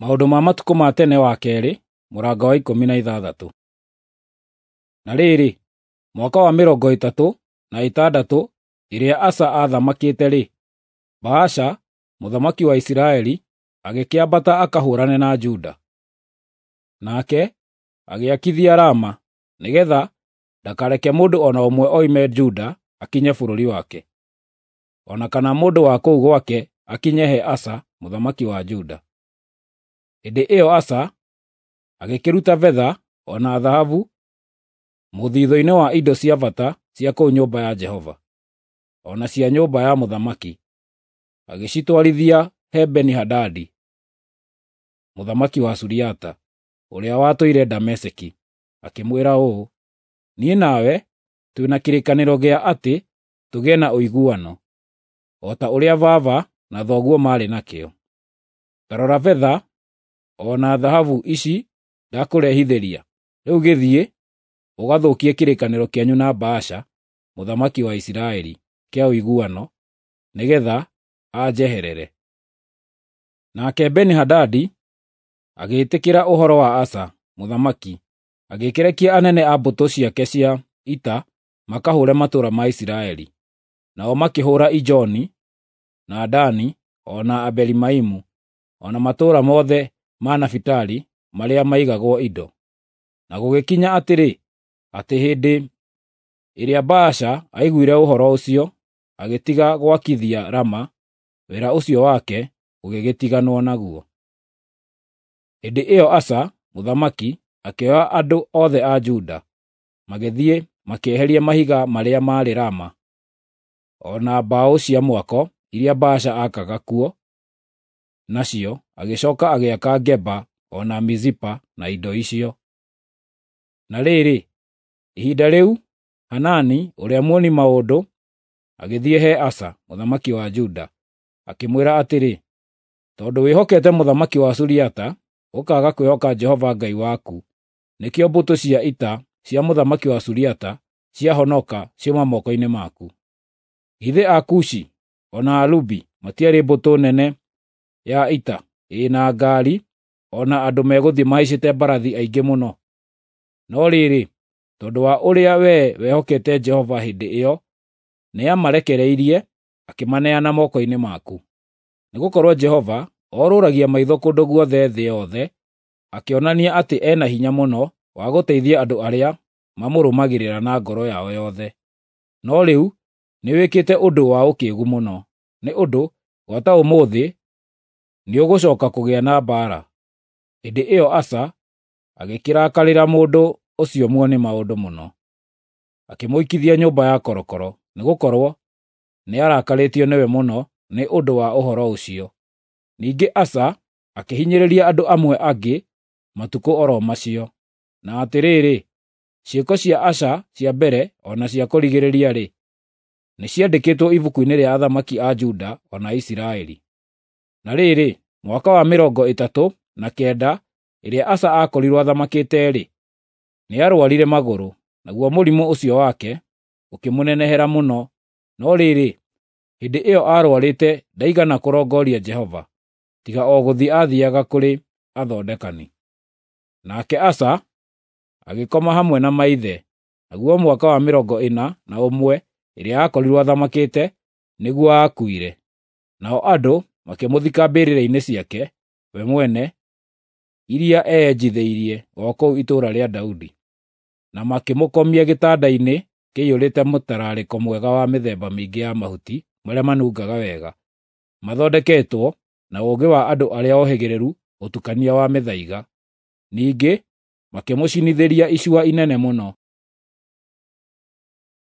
Maũndũ ma Matukũ ma Tene wa kerĩ, mũrango wa 16. Na rĩrĩ, mwaka wa 36 ĩrĩa Asa aathamakĩte-rĩ, Baasha mũthamaki wa Isiraeli agĩkĩambata akahũũrane na Juda. Nake agĩakithia Rama nĩgeetha ndakareke mũndũ o na ũmwe oime Juda akinye bũrũri wake, o na kana mũndũ wa kũu gwake akinye he Asa mũthamaki wa Juda. Hĩndĩ ĩyo Asa agĩkĩruta betha o na thahabu mũthithũ-inĩ wa indo cia bata cia kũu nyũmba ya Jehova, o na cia nyũmba ya mũthamaki, agĩcitwarithia he Beni-Hadadi mũthamaki wa Suriata, ũrĩa watũire Dameski, akĩmwĩra ũũ, “Niĩ nawe twĩ na kĩrĩkanĩro gĩa atĩ tũgĩe na ũiguano, o ta ũrĩa baba na thoguo maarĩ nakĩo. Ta rora betha o na thahabu ici ndakũrehithĩria, rĩu gĩthiĩ ũgathũkie kĩrĩkanĩro kĩanyu na Baasha mũthamaki wa Isiraeli kĩa ũiguano, nĩgeetha anjeherere.” Nake Beni-Hadadi agĩĩtĩkĩra ũhoro wa Asa mũthamaki, agĩkĩrekia anene a mbũtũ ciake cia ita makahũũre matũũra ma Isiraeli. Nao makĩhũũra Ijoni, na Dani, o na Abeli-Maimu, o na matũũra mothe ma Nafitali marĩa maigagwo indo. Na gũgĩkinya atĩrĩ, atĩ hĩndĩ ĩrĩa Baasha aiguire ũhoro ũcio, agĩtiga gwakithia Rama, wĩra ũcio wake ũgĩgĩtiganwo naguo. Hĩndĩ ĩyo Asa mũthamaki akĩoya andũ othe a Juda, magĩthiĩ makĩeheria mahiga marĩa maarĩ Rama, o na mbaũ cia mwako iria Baasha aakaga kuo nacio, agĩcooka agĩaka Geba o na Mizipa na indo icio. Na rĩrĩ, ihinda rĩu Hanani ũrĩa muoni maũndũ agĩthiĩ he Asa mũthamaki wa Juda, akĩmwĩra atĩrĩ, “Tondũ wĩhokete mũthamaki wa Suriata, ũkaaga kwĩhoka Jehova Ngai waku, nĩkĩo mbũtũ cia ita cia mũthamaki wa Suriata ciahonoka ciuma moko-inĩ maku. Githĩ Akushi o na Alubi matiarĩ mbũtũ nene ya ita ĩ na ngaari o na andũ megũthiĩ mahaicĩte mbarathi aingĩ mũno? No rĩrĩ, tondũ wa ũrĩa wee wehokete Jehova hĩndĩ ĩyo, nĩamarekereirie akĩmaneana moko-inĩ maku. Nĩgũkorwo Jehova orũragia maitho kũndũ guothe thĩ yothe akĩonania atĩ e na hinya mũno wa gũteithia andũ arĩa mamũrũmagĩrĩra na ngoro yao yothe. No rĩu nĩwĩkĩte ũndũ wa ũkĩĩgu mũno, nĩ ũndũ gwata ũmũthĩ nĩũgũcooka kũgĩa na mbaara.” Hĩndĩ ĩyo Asa agĩkĩrakarĩra mũndũ ũcio muoni maũndũ mũno, akĩmũikithia nyũmba ya korokoro, nĩgũkorwo nĩarakarĩtio nĩwe mũno nĩ ũndũ wa ũhoro ũcio. Ningĩ Asa akĩhinyĩrĩria andũ amwe angĩ matukũ o ro macio. Na atĩrĩrĩ, ciĩko cia Asa cia mbere o na cia kũrigĩrĩria-rĩ, nĩciandĩkĩtwo ibuku-inĩ rĩa athamaki a Juda o na Isiraeli. Na rĩrĩ, mwaka wa 39 ĩrĩa Asa aakorirwo athamakĩte-rĩ, nĩarũarire magũrũ, naguo mũrimũ ũcio wake ũkĩmũnenehera mũno. No rĩrĩ, hĩndĩ ĩyo aarũarĩte ndaigana kũrongooria Jehova, tiga o gũthiĩ aathiiaga kũrĩ athondekani. Nake Asa agĩkoma hamwe na maithe, naguo mwaka wa 41 ĩrĩa aakorirwo athamakĩte nĩguo aakuire. Nao andũ makĩmũthika mbĩrĩra-inĩ ciake we mwene iria eyenjithĩirie o kũu itũũra rĩa Daudi, na makĩmũkomia gĩtanda-inĩ kĩiyũrĩte mũtararĩko mwega wa mĩthemba mĩingĩ ya mahuti marĩa manungaga wega, mathondeketwo na ũũgĩ wa andũ arĩa ohĩgĩrĩru ũtukania wa mĩthaiga. Ningĩ makĩmũcinithĩria icua inene mũno.